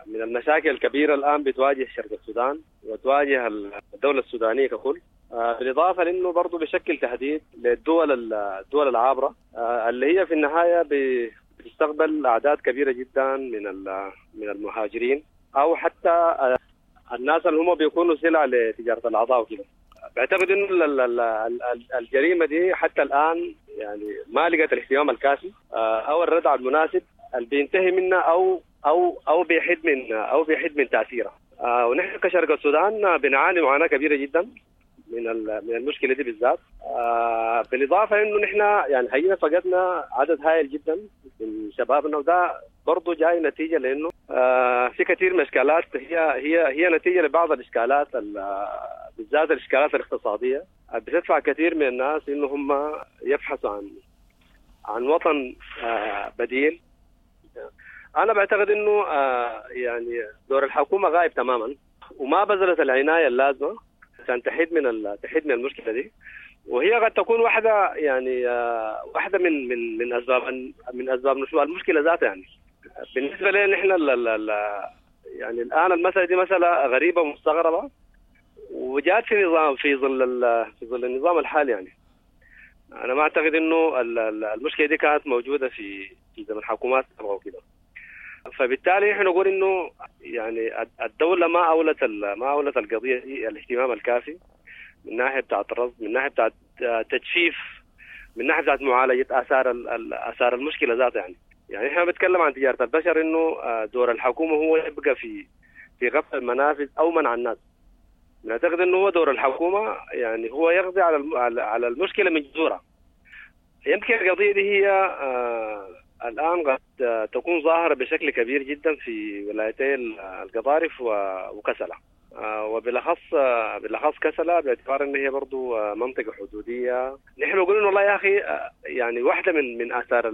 من المشاكل الكبيرة الآن بتواجه شرق السودان وتواجه الدولة السودانية ككل، بالإضافة لأنه برضو بشكل تهديد للدول الدول العابرة اللي هي في النهاية بتستقبل أعداد كبيرة جدا من المهاجرين أو حتى الناس اللي هم بيكونوا سلع لتجارة الأعضاء وكده. بعتقد إنه الجريمة دي حتى الآن يعني ما لقت الاهتمام الكافي أو الردع المناسب اللي بينتهي منها أو أو أو بيحد من أو بيحد من تأثيرها. ونحن كشرق السودان بنعاني معاناة كبيرة جدا من المشكلة دي بالذات، بالإضافة إنه نحن يعني حقيقة فقدنا عدد هائل جدا من شبابنا، وده برضه جاي نتيجة لأنه في كثير من الإشكالات هي نتيجة لبعض الإشكالات بالذات الإشكالات الاقتصادية بتدفع كثير من الناس إنه هم يبحثوا عن وطن بديل. أنا بعتقد إنه يعني دور الحكومة غايب تماما وما بذلت العناية اللازمة عشان تحد من المشكلة دي، وهي قد تكون واحدة يعني واحدة من من من أسباب من أسباب نشوء المشكلة ذاتها. يعني بالنسبة لنا نحن يعني الآن المسألة دي مسألة غريبة ومستغربة وجات في نظام في ظل النظام الحالي. يعني أنا ما أعتقد إنه المشكلة دي كانت موجودة في زمن الحكومات وكده، فبالتالي نحن نقول إنه يعني الدولة ما أولت القضية دي الاهتمام الكافي من ناحية بتاعة الرصد، من ناحية بتاعة تجفيف، من ناحية بتاعة معالجة آثار المشكلة ذاتها. يعني إحنا بنتكلم عن تجارة البشر إنه دور الحكومة هو يبقى في قفل المنافذ أو منع الناس. نعتقد إنه هو دور الحكومة يعني هو يقضي على المشكلة من جذورها. يمكن القضية دي هي الآن قد تكون ظاهرة بشكل كبير جدا في ولايتي القضارف وكسلة، وبالأخص كسلة باعتبار أن هي برضو منطقة حدودية. نحن نقول والله يا أخي يعني واحدة من آثار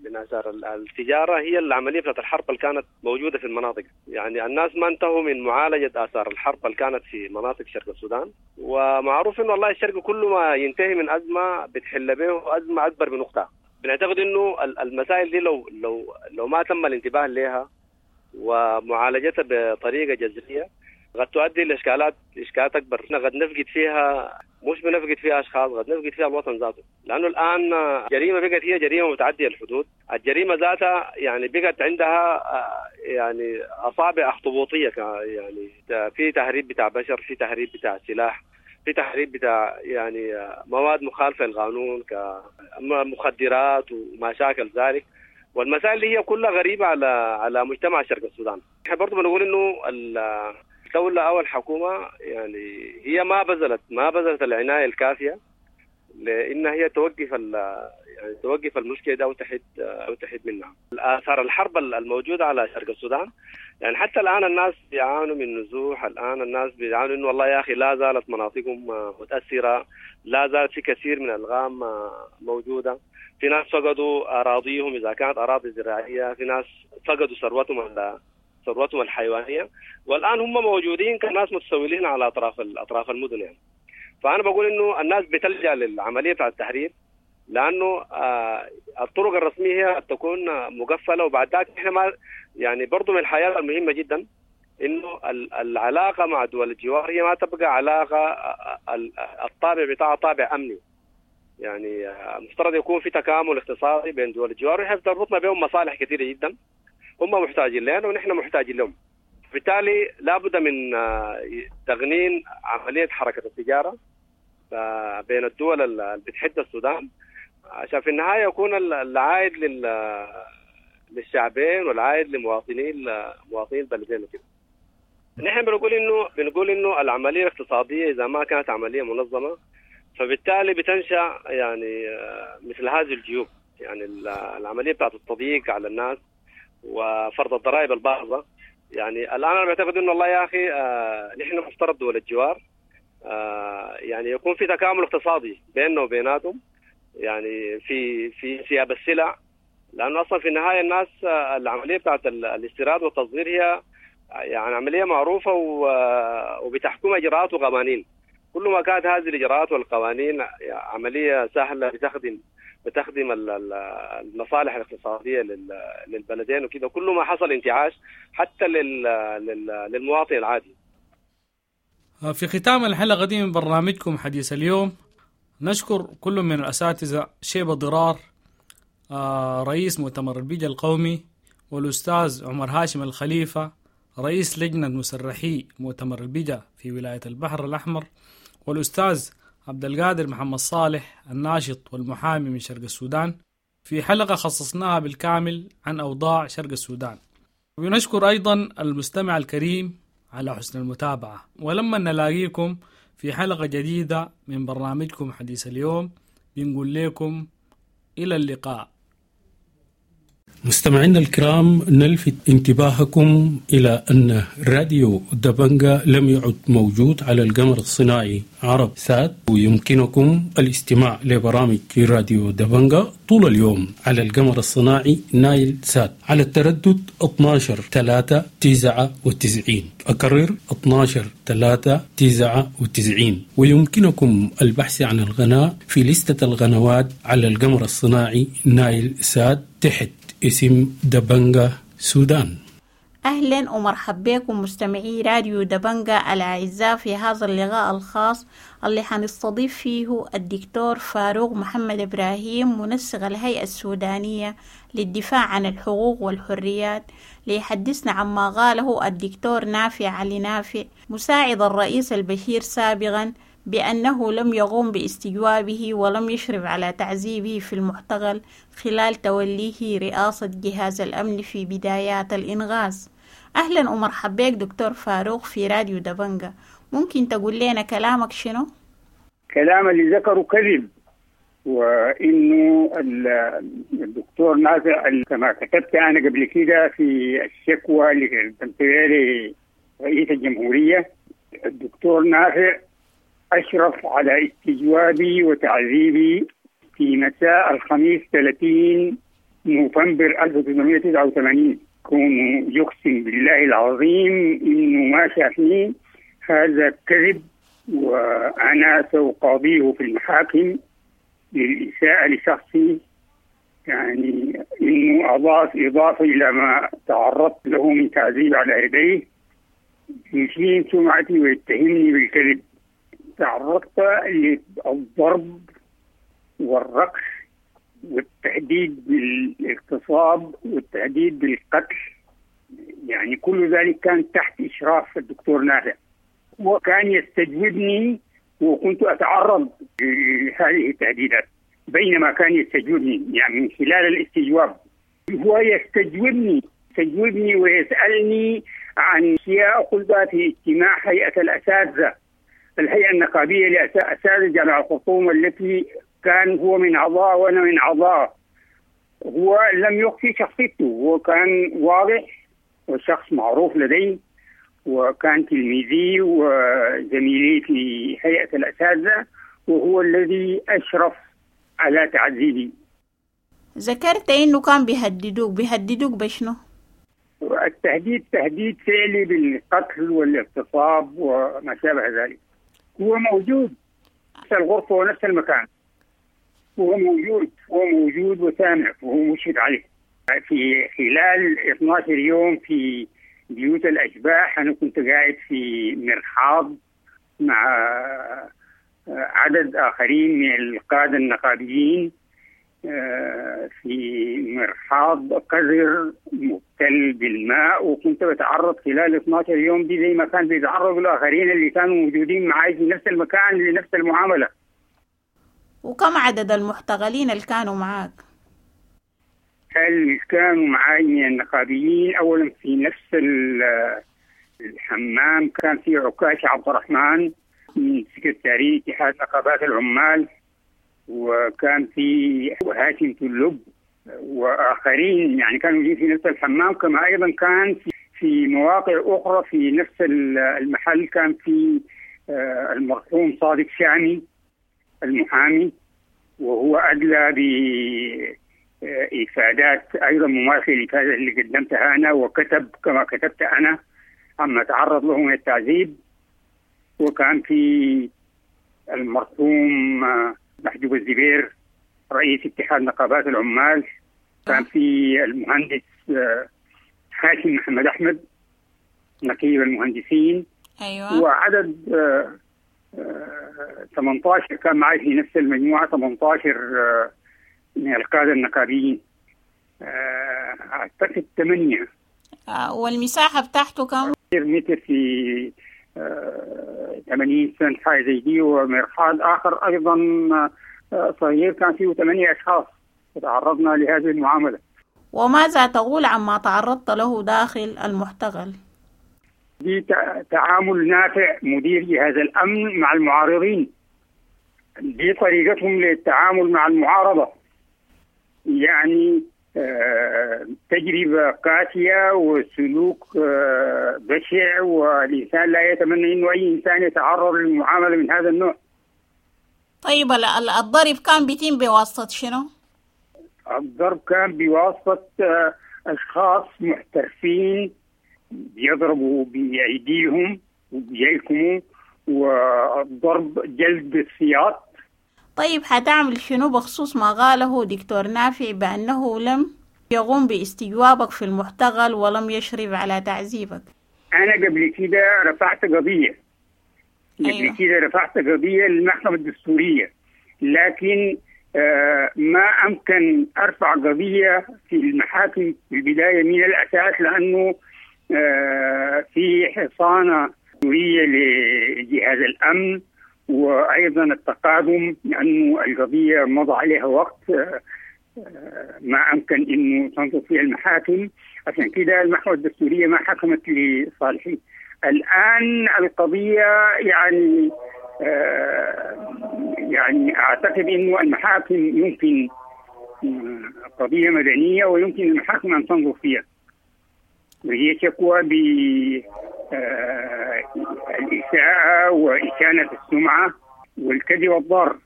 من آثار التجارة هي العملية بتاعت الحرب اللي كانت موجودة في المناطق. يعني الناس ما انتهوا من معالجة آثار الحرب اللي كانت في مناطق شرق السودان، ومعروف إنه والله الشرق كل ما ينتهي من أزمة بتحل به أزمة أكبر من أختها. بنعتقد إنه المسائل دي لو لو لو ما تم الانتباه لها ومعالجتها بطريقة جذرية قد تؤدي لإشكالات أكبر. قد نفقد فيها، مش بنفقد فيها أشخاص، قد نفقد فيها الوطن ذاته، لأنه الآن جريمة بقت هي جريمة متعدية الحدود. الجريمة ذاتها يعني بقت عندها يعني أصابع أخطبوطية، يعني في تهريب بتاع بشر، في تهريب بتاع سلاح، في تهريب بتاع يعني مواد مخالفة للقانون كمخدرات وما شاكل ذلك، والمسائل اللي هي كلها غريبة على مجتمع شرق السودان. احنا برضو بنقول إنه الدولة أو الحكومة يعني هي ما بذلت العناية الكافية لأن هي توقف يعني توقف المشكلة ده أو تحد منها. آثار الحرب الموجودة على شرق السودان، يعني حتى الآن الناس بيعانوا من نزوح، الآن الناس بيعانوا إنه والله يا أخي لا زالت مناطقهم متأثرة، لا زالت في كثير من الألغام موجودة، في ناس فقدوا أراضيهم إذا كانت أراضي زراعية، في ناس فقدوا ثروتهم الحيوانية، والآن هم موجودين كناس متسولين على أطراف المدن يعني. فأنا بقول إنه الناس بتلجأ للعملية بتاع التحرير لأنه الطرق الرسمية هي تكون مقفلة. وبعد ذاك إحنا ما يعني برضو من الحياة المهمة جدا إنه العلاقة مع دول الجوار هي ما تبقى علاقة الطابع بتاعها طابع أمني، يعني مفترض يكون في تكامل اقتصادي بين دول الجوار، ونحن تربطنا بهم مصالح كثيرة جدا، هم محتاجين لنا ونحن محتاجين لهم. بالتالي لابد من تغنين عملية حركة التجارة بين الدول اللي بتحد السودان، عشان في النهاية يكون العائد للشعبين والعائد لمواطنين البلدين وكده. نحن بنقول إنه العملية الاقتصادية إذا ما كانت عملية منظمة فبالتالي بتنشأ يعني مثل هذه الجيوب، يعني العملية بتاعت التضييق على الناس وفرض الضرائب الباهظة. يعني الآن أنا بعتقد إنه والله يا أخي نحن مفترض دول الجوار يعني يكون في تكامل اقتصادي بيننا وبيناتهم، يعني في سياب السلع، لأنه أصلا في النهاية الناس العملية بتاعت الاستيراد والتصدير هي يعني عملية معروفة وبتحكم إجراءات وقوانين. كل ما كانت هذه الإجراءات والقوانين عملية سهلة بتخدم المصالح الاقتصادية للبلدين وكده، كل ما حصل انتعاش حتى للمواطن العادي. في ختام الحلقة دي من برنامجكم حديث اليوم، نشكر كل من الأساتذة شيبة ضرار رئيس مؤتمر البيجا القومي، والأستاذ عمر هاشم الخليفة رئيس لجنة مسرحي مؤتمر البيجا في ولاية البحر الأحمر، والأستاذ عبد القادر محمد صالح الناشط والمحامي من شرق السودان، في حلقة خصصناها بالكامل عن أوضاع شرق السودان. ونشكر أيضا المستمع الكريم على حسن المتابعة، ولما نلاقيكم في حلقة جديدة من برنامجكم حديث اليوم بنقول لكم إلى اللقاء. مستمعينا الكرام، نلفت انتباهكم إلى أن راديو دبنجا لم يعد موجود على القمر الصناعي عرب سات، ويمكنكم الاستماع لبرامج راديو دبنجا طول اليوم على القمر الصناعي نايل سات على التردد 12/3/99. أكرر 12/3/99. ويمكنكم البحث عن القناة في لستة القنوات على القمر الصناعي نايل سات تحت اسم دبنجا سودان. أهلا ومرحبا بكم مستمعي راديو دبنجا الأعزاء في هذا اللقاء الخاص اللي حنستضيف فيه الدكتور فاروق محمد إبراهيم، منسق الهيئة السودانية للدفاع عن الحقوق والحريات، ليحدثنا عما قاله الدكتور نافع علي نافع مساعد الرئيس البشير سابقا بأنه لم يقوم باستجوابه ولم يشرف على تعذيبه في المعتقل خلال توليه رئاسة جهاز الأمن في بدايات الإنغاز. أهلا ومرحبا بك دكتور فاروق في راديو دبنجا، ممكن تقول لنا كلامك شنو؟ كلام اللي ذكره كذب، وإنه الدكتور نافع كما كتبت أنا قبل كده في الشكوى اللي قدمتها لرئيس الجمهورية، الدكتور نافع أشرف على استجوابي وتعذيبي في مساء الخميس 30 نوفمبر 1989. كونه يقسم بالله العظيم إنه ما شافني، هذا كذب، وأنا سأقاضيه في المحاكم للإساءة لشخصي، يعني إنه أضاف إضافة إلى ما تعرضت له من تعذيب على يديه، يشين سمعتي ويتهمني بالكذب. تعرضت للضرب والرقص والتهديد بالاغتصاب والتهديد بالقتل، يعني كل ذلك كان تحت إشراف الدكتور نافع، وكان يستجوبني وكنت أتعرض لهذه التهديدات بينما كان يستجوبني، يعني من خلال الاستجواب هو يستجوبني ويسألني عن أشياء قلتها في اجتماع هيئة الأساتذة، الهيئة النقابية لأساتذة جامعة الخرطوم التي كان هو من أعضاء وأنا من أعضاء. هو لم يخفي شخصيته، هو كان واضح وشخص معروف لدي، وكان تلميذي وزميلي في هيئة الأساتذة، وهو الذي أشرف على تعذيبي. ذكرت إنه كان بيهددوك بشنو؟ التهديد تهديد فعلي بالقتل والاغتصاب وما شابه ذلك. هو موجود نفس الغرفة ونفس المكان، هو موجود وسامع وهو مشرف عليه. في خلال 12 يوم في بيوت الأشباح أنا كنت قاعد في مرحاض مع عدد آخرين من القادة النقابيين في مرحاض قذر مبتل بالماء، وكنت بتعرض خلال 12 يوم دي زي ما كان بيتعرضوا الآخرين اللي كانوا موجودين معي في نفس المكان لنفس المعاملة. وكم عدد المحتغلين اللي كانوا معاك؟ اللي كانوا معاي من النقابيين أولا في نفس الحمام كان في عكاش عبد الرحمن من سكرتارية اتحاد نقابات العمال، وكان في هاشم تلب وآخرين، يعني كانوا موجودين في نفس الحمام. كما أيضا كان في مواقع أخرى في نفس المحل كان في المرحوم صادق شامي المحامي، وهو أدلى بإفادات أيضا مماثلة للإفادة اللي قدمتها أنا، وكتب كما كتبت أنا عما تعرض له من التعذيب. وكان في المرحوم محجوب الزبير رئيس اتحاد نقابات العمال، كان في المهندس هاشم محمد أحمد نقيب المهندسين. أيوة. وعدد 18 كان معي في نفس المجموعة، 18 من القادة النقابيين، أعتقد 8. والمساحة بتاعته كم؟ متر في 80 سنت حاجة زي دي. ومرحاض آخر أيضا صغير كان فيه 8 أشخاص تعرضنا لهذه المعاملة. وماذا تقول عما تعرضت له داخل المحتغل؟ دي تعامل نافع مدير جهاز الأمن مع المعارضين، دي طريقتهم للتعامل مع المعارضة، يعني تجربة قاسية وسلوك بشع، والإنسان لا يتمنى إنه أي إنسان يتعرض للمعاملة من هذا النوع. طيب الضرب كان بيتم بواسطة شنو؟ الضرب كان بواسطة أشخاص محترفين بيضربوا بأيديهم وبيلكموا، والضرب جلد بالسياط. طيب حتعمل شنو بخصوص ما قاله دكتور نافع بأنه لم يقوم باستجوابك في المحتغل ولم يشرف على تعذيبك؟ أنا قبل كده رفعت قضية. قبل كده رفعت قضية للمحكمة الدستورية، لكن ما أمكن أرفع قضية في المحاكم في البداية من الأساس، لأنه في حصانة دستورية لجهاز الأمن، وأيضا التقادم لأنه القضية مضى عليها وقت ما أمكن أنه تنظر فيها المحاكم، عشان كده المحكمة الدستورية ما حكمت لصالحي. الآن القضية يعني أعتقد أنه المحاكم يمكن قضية مدنية ويمكن المحاكم أن تنظر فيها، وهي شكوى بالإساءة وإشانة السمعة والكذب والضار.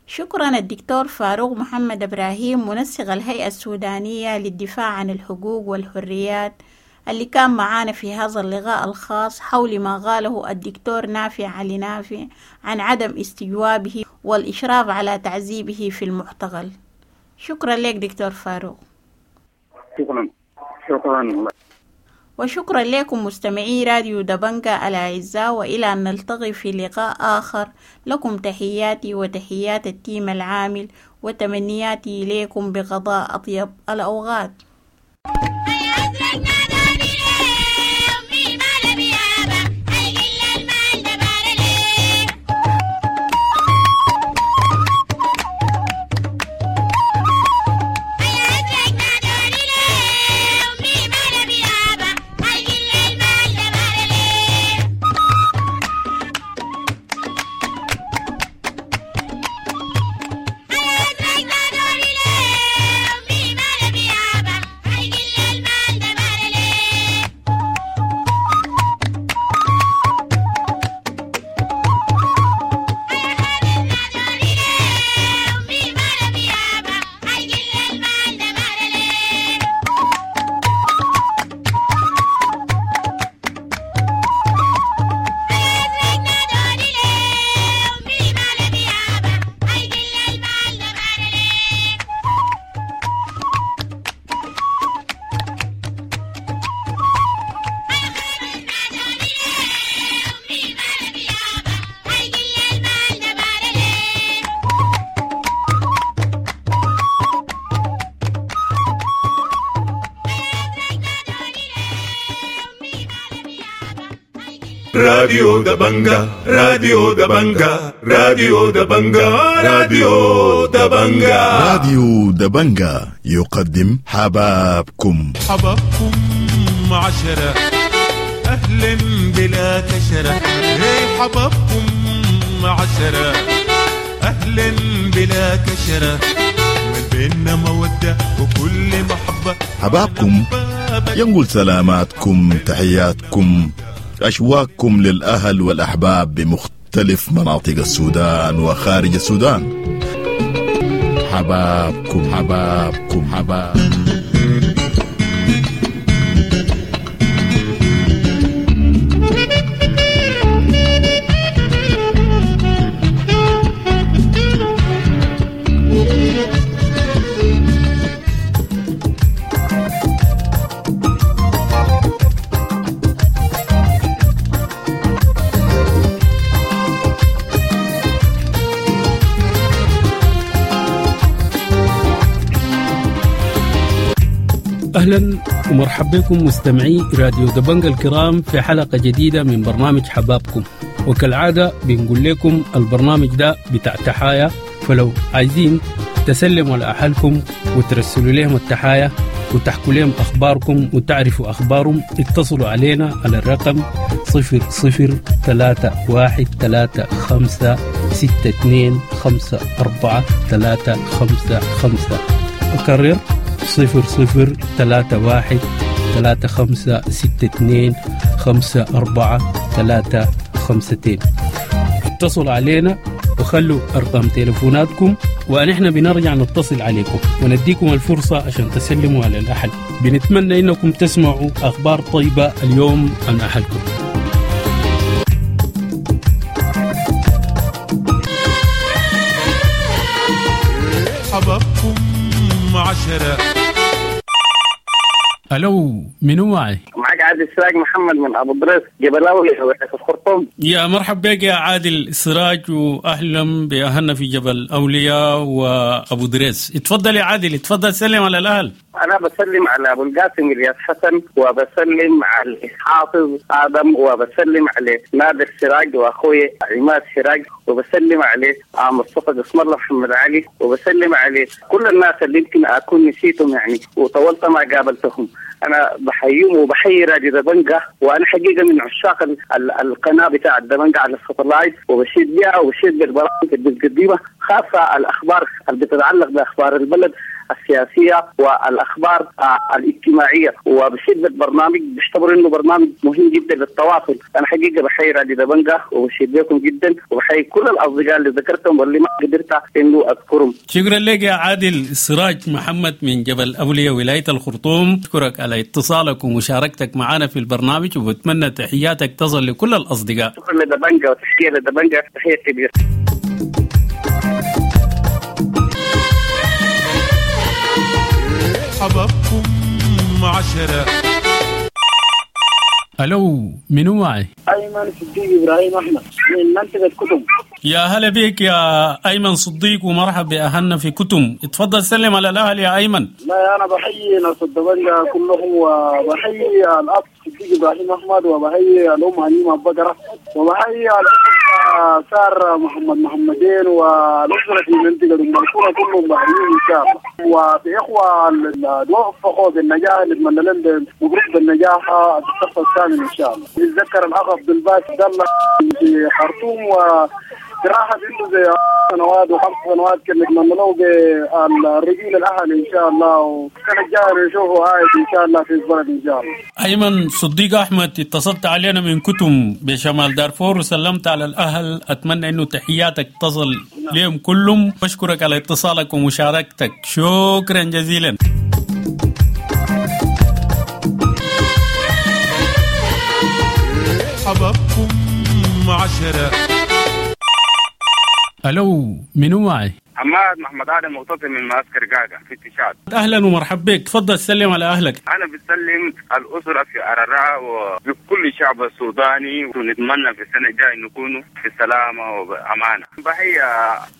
شكرا الدكتور فاروق محمد إبراهيم، منسق الهيئة السودانية للدفاع عن الحقوق والحريات، اللي كان معانا في هذا اللقاء الخاص حول ما قاله الدكتور نافع علي نافع عن عدم استجوابه والإشراف على تعذيبه في المعتقل. شكرا لك دكتور فاروق. شكرا. شكرا. وشكرا لكم مستمعي راديو دبنجا الأعزاء، وإلى أن نلتقي في لقاء آخر، لكم تحياتي وتحيات التيم العامل، وتمنياتي إليكم بقضاء أطيب الأوقات. راديو دبنجا، راديو دبنجا، راديو دبنجا، راديو دبنجا، راديو دبنجا يقدم حبابكم. حبابكم 10 أهلا بلا كشرة، هي حبابكم 10 أهلا بلا كشرة، من بيننا مودة وكل محبة. حبابكم ينقل سلاماتكم، تحياتكم، أشواقكم للأهل والأحباب بمختلف مناطق السودان وخارج السودان. حبابكم حبابكم حباب. أهلا ومرحبا بكم مستمعي راديو دبنجا الكرام في حلقة جديدة من برنامج حبابكم. وكالعادة بنقول لكم البرنامج ده بتاع تحايا، فلو عايزين تسلموا على أهلكم وترسلوا لهم التحايا وتحكوا لهم أخباركم وتعرفوا أخبارهم، اتصلوا علينا على الرقم 00 3 1 3 5 6 2 5 4 3 5 5. أكرر 00 3 1 3 5 6 2 5 4 3 5 2. اتصلوا علينا وخلوا أرقام تليفوناتكم ونحن بنرجع نتصل عليكم ونديكم الفرصة عشان تسلموا على الأهل. بنتمنى إنكم تسمعوا أخبار طيبة اليوم عن أهلكم. حبابكم 10. ألو، منو معي؟ معك عادل سراج محمد من أبو دريس جبلاوي في الخرطوم. يا مرحب بك يا عادل سراج، وأهلا بأهلنا في جبل أولياء وأبو دريس. اتفضل يا عادل، اتفضل سلم على الأهل. أنا بسلم على أبو القاسم الياس حسن، وبسلم على حافظ آدم، وبسلم على نادر سراج وأخوي عماد سراج، وبسلم على مصطفى قسم الله محمد علي، وبسلم على كل الناس اللي يمكن أكون نسيتهم يعني وطولت ما قابلتهم. أنا بحييهم وبحيي راديو دبنجا، وأنا حقيقة من عشاق القناة بتاع دبنجا على الساتلايت، وبشيد بها وبشيد بالبرامج اللي بتقدمها، خاصة الأخبار اللي بتتعلق بأخبار البلد السياسية والأخبار الاجتماعية، وبشيد بالبرنامج، بشتبر إنه برنامج مهم جدا للتواصل. أنا حقيقة بحيي راديو دبنجا وبشيد بكم جدا، وبحيي كل الأصدقاء اللي ذكرتهم واللي ما قدرت إنه أذكرهم. شكرا لك يا عادل سراج محمد من جبل أولياء ولاية الخرطوم. أشكرك على اتصالك ومشاركتك معنا في البرنامج، وبتمنى تحياتك تصل لكل الأصدقاء. شكرا لدبنجا وتحية لدبنجا، تحية كبيرة. حبابكم 10. ألو، منو معي؟ أيمن صديق إبراهيم أحمد من منطقة كتم. يا هلا بك يا أيمن صديق، ومرحب بأهلنا في كتم. اتفضل سلم على الأهل يا أيمن. لا أنا بحيي ناس الدبنجا كلهم، وبحيي الأب صديق إبراهيم أحمد، وبحيي الأم هنيمة بقرة، وبحيي الأخ سار محمد محمدين، والأسرة في منطقة المنصورة كلهم بحييهم إن شاء الله. وفي إخوة اللي وفقوا بالنجاح، نتمنى لهم مبروك بالنجاح الصف الثامن إن شاء الله. نتذكر الأخ عبد الباسط عبد الله في خرطوم، وراحة عنده زي سنوات و5 سنوات، كنا نتمنى له بالرجيل الأهل إن شاء الله، والسنة الجاية نشوفه عايد إن شاء الله في البلد إن شاء الله. أيمن صديق أحمد، اتصلت علينا من كتم بشمال دارفور وسلمت على الأهل. أتمنى أنه تحياتك تصل لهم كلهم. بشكرك على اتصالك ومشاركتك، شكرا جزيلا. حبابكم 10. ألو، منو معي؟ عماد محمد آدم مغتصب من معسكر قاعدة في اتشاد. أهلا ومرحبا بك، تفضل سلم على أهلك. أنا بسلم الأسرة في أرراء وبكل الشعب السوداني، ونتمنى في السنة الجاية نكونوا في سلامة وأمانة. بحيي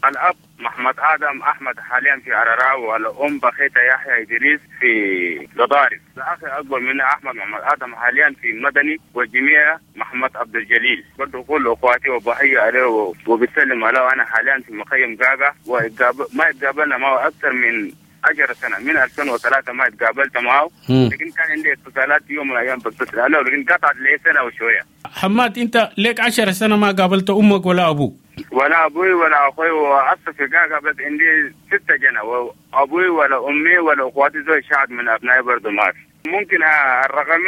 الأب محمد ادم احمد حاليا في عرراء، والام بخيته يحيى ادريس في قضارف. الاخ اكبر مني احمد محمد ادم حاليا في مدني، والجميع محمد عبد الجليل برضه كل اخواتي وبحيي عليه وبسلم عليه. انا حاليا في مخيم قاقا، وما اتقابلنا معه اكثر من 10 سنة، من 2003 ما اتقابلت معه، لكن كان عندي اتصالات يوم من الايام بتصل عليه، لكن قطعت لي سنة وشوية. حماد، انت ليك 10 سنة ما قابلت امك ولا ابوك؟ ولا ابوي ولا اخوي، واصلا في قاقا بس عندي 6 جنة، وابوي ولا امي ولا اخواتي زي شعب من ابنائي برضه ما في. ممكن الرقم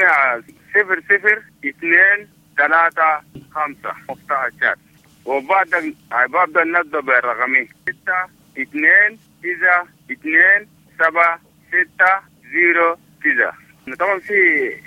0 0 2 3 5 مفتاح الشات، وبعد ببدا نبدا بالرقمي 6 2 9 2 7 6 0 9. طبعا في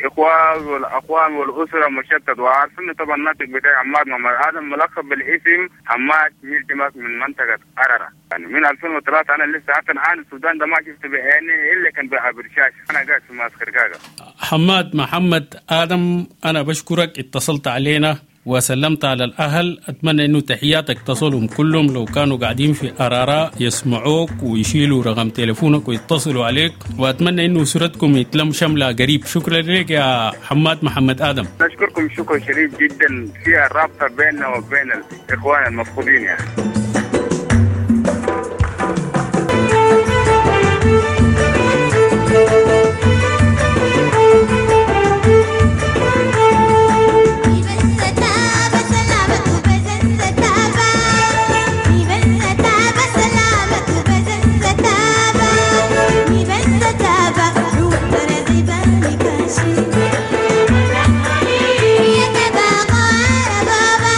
اخوان والاخوان والاسرة مشتت، وعارفين طبعا الناطق بتاعي عماد محمد ادم ملقب بالاسم حماد ميلتماس من منطقة ارره. يعني من 2003 انا لسه حتى الان السودان ده ما شفت بعيني الا كان بعبر شاشة، انا قاعد في معسكر كاكا. حماد محمد ادم، انا بشكرك اتصلت علينا وسلمت على الأهل. أتمنى أنه تحياتك تصلهم كلهم، لو كانوا قاعدين في أرارا يسمعوك ويشيلوا رقم تليفونك ويتصلوا عليك، وأتمنى أنه أسرتكم يتلم شملة قريب. شكرا لك يا حماد محمد آدم. نشكركم شكر شديد جدا في الرابطة بيننا وبين الإخوان المفقودين يعني. يتبقى ربابا.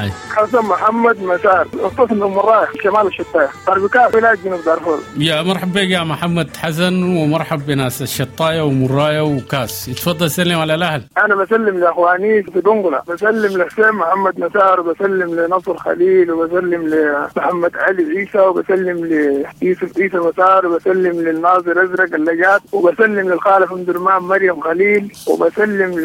معي؟ حسن محمد مسار، اتصل من مرايح شمال الشطاية، طربكاس ولاية جنوب دارفور. يا مرحبا بك يا محمد حسن، ومرحب بناس الشطاية ومراية وكاس. اتفضل سلم على الأهل. أنا بسلم لأخواني في دنقلة، بسلم لحسين محمد مسار، وبسلم لنصر خليل، وبسلم لمحمد علي عيسى، وبسلم ليوسف عيسى مسار، وبسلم للناظر أزرق اللجات، وبسلم للخالة في درمان مريم خليل، وبسلم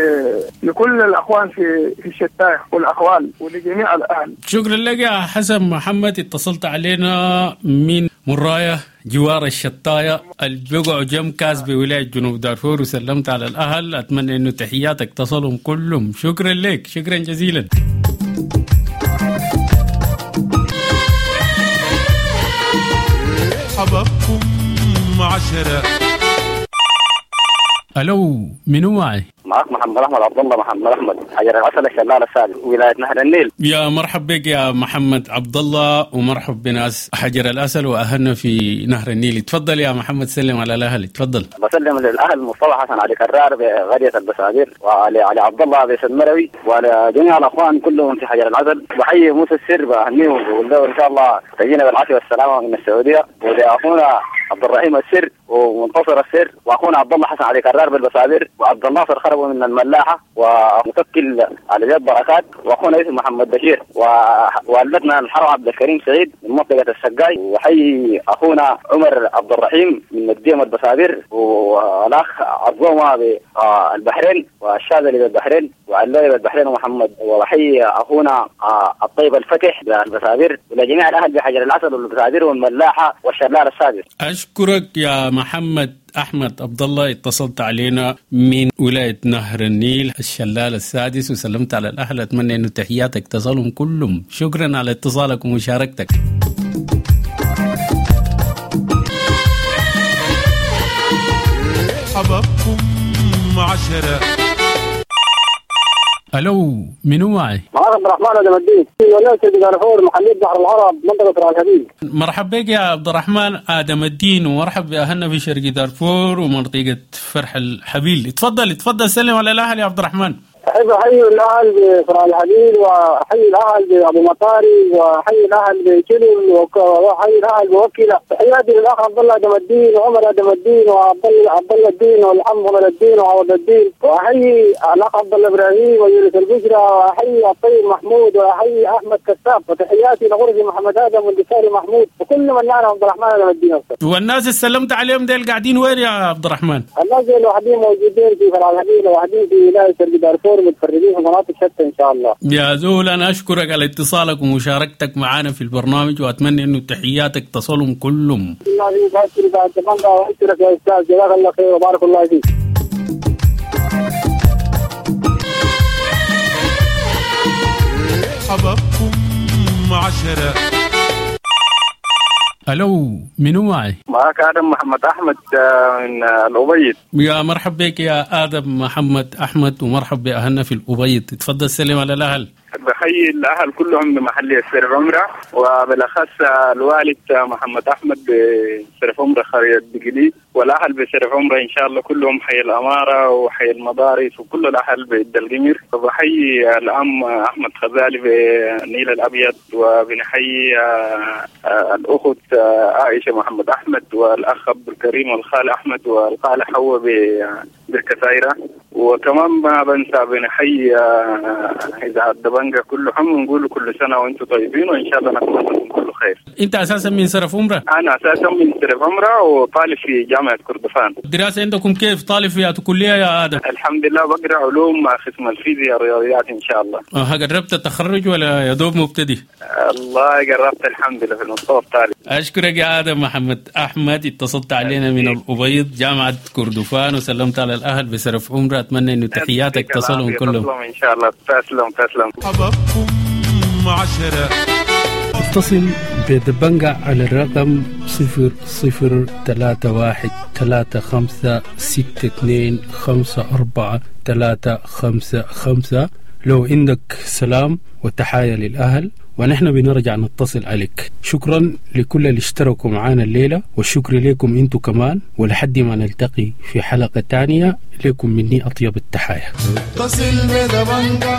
لكل الأخوان في الشتاية والأخوال ولجميع الأهل. شكرا لك يا حسن محمد، اتصلت علينا من مراية جوار الشطاية البقع جم كاس بولاية جنوب دارفور، وسلمت على الأهل. أتمنى أنه تحياتك تصلهم كلهم. شكرا لك، شكرا جزيلا. حبابكم 10. ألو، منو معي؟ معك محمد احمد عبد الله محمد احمد، حجر العسل الشلال السادس، ولايه نهر النيل. يا مرحب بك يا محمد عبد الله، ومرحب بناس حجر العسل واهلنا في نهر النيل. تفضل يا محمد، سلم على الاهل. تفضل. بسلم للاهل مصطفى حسن علي كرار بغريه البسابير، وعلي علي عبد الله بن مروي، وعلى جميع الاخوان كلهم في حجر العسل. بحيي موسى السر، بهنيه وبقول له ان شاء الله تجينا بالعافيه والسلامه من السعوديه. ولاخونا عبد الرحيم السر ومنتصر السر، واخونا عبد الله حسن علي كرار بالبسابير، وعبد الناصر خربوا من الملاحه، ومتكل على جد بركات، واخونا يوسف محمد بشير، ووالدتنا الحرم عبد الكريم سعيد من منطقه السقاي، وحي اخونا عمر عبد الرحيم من مدينه البسابير، والاخ عظومه بالبحرين، والشاذلي بالبحرين، وعلاوي بالبحرين ومحمد، وحي اخونا الطيب الفتح بالبسابير، ولجميع الاهل بحجر العسل والبسابير والملاحه والشلال السادس. أشكرك يا محمد أحمد عبد الله، اتصلت علينا من ولاية نهر النيل الشلال السادس، وسلمت على الأهل. أتمنى أن تحياتك تصلهم كلهم. شكرا على اتصالك ومشاركتك. حبابكم 10. ألو، منو معي؟ معك عبد الرحمن آدم الدين، ولاية دارفور، محلية بحر العرب، منطقة راس الحبيب. مرحب بك يا عبد الرحمن آدم الدين، ومرحب بأهلنا في شرق دارفور ومنطقة فرح الحبيل. تفضل تفضل، سلم على الأهل يا عبد الرحمن. أحب أحيي الأهل بفرع الحبيل، وأحيي الأهل بأبو مطاري، وأحيي الأهل بكلم، وأحيي الأهل بوكيلة. تحياتي للأخ عبد الله آدم الدين، وعمر آدم الدين، وعبد الله الدين، والعم عمر الدين، وعوض الدين، وأحيي الأخ عبد الله إبراهيم ويونس البشرى، وأحيي الطيب محمود، وأحيي أحمد كساب، وتحياتي لغرفي محمد آدم والدكتور محمود، وكل من يعرف عبد الرحمن آدم الدين. والناس اللي سلمت عليهم ديل قاعدين وين يا عبد الرحمن؟ الناس ديل واحدين موجودين في فرع الحبيل، وواحدين في ولاية شرق دارفور، متفرقين في مناطق شتى ان شاء الله. يا زول، انا اشكرك على اتصالك ومشاركتك معنا في البرنامج، واتمنى انه تحياتك تصلهم كلهم. الله يبارك يا استاذ، جزاك الله خير وبارك الله فيك. حبابكم 10. ألو، منو معي؟ معك آدم محمد أحمد من الأبيض. يا مرحب بك يا آدم محمد أحمد، ومرحب بأهلنا في الأبيض. تفضل سلم على الأهل. بحيي الأهل كلهم بمحلية سرف عمرة، وبالأخص الوالد محمد أحمد بسرف عمرة خرية بقلي، والأهل بسرف عمرة إن شاء الله كلهم، حي الأمارة وحي المدارس وكل الأهل بالدلقمير. وبحيي الأم أحمد خزالي بنيل الأبيض، وبنحيي الأخت عائشة محمد أحمد، والأخ عبد الكريم، والخال أحمد، والخالة حواء بالكثيرة. وكمان ما بنسى بنحيي إذاعة دبنجة كلهم، ونقول كل سنة وأنتم طيبين، وإن شاء الله نتمنى لكم كل خير. أنت أساسا من سرف عمرة؟ أنا أساسا من سرف عمرة، وطالب في جامعة كردفان. الدراسة عندكم كيف؟ طالب في كلية يا آدم؟ الحمد لله، بقرأ علوم قسم الفيزياء الرياضيات إن شاء الله. قربت التخرج ولا يا دوب مبتدي؟ الله قربت الحمد لله، في المستوى الثالث. أشكرك يا آدم محمد أحمد، اتصلت علينا من الأبيض جامعة كردفان، وسلمت على الأهل بسرف عمرة. أتمنى أن تحياتك تصلهم كلهم إن شاء الله. تسلم تسلم. حبابكم 10. اتصل بدبنجة على الرقم 0031 35 62 54 355 لو عندك سلام وتحايا للأهل، ونحن بنرجع نتصل عليك. شكرا لكل اللي اشتركوا معانا الليلة، والشكر لكم انتو كمان، ولحد ما نلتقي في حلقة تانية لكم مني أطيب التحايا. اتصل بدبنجة.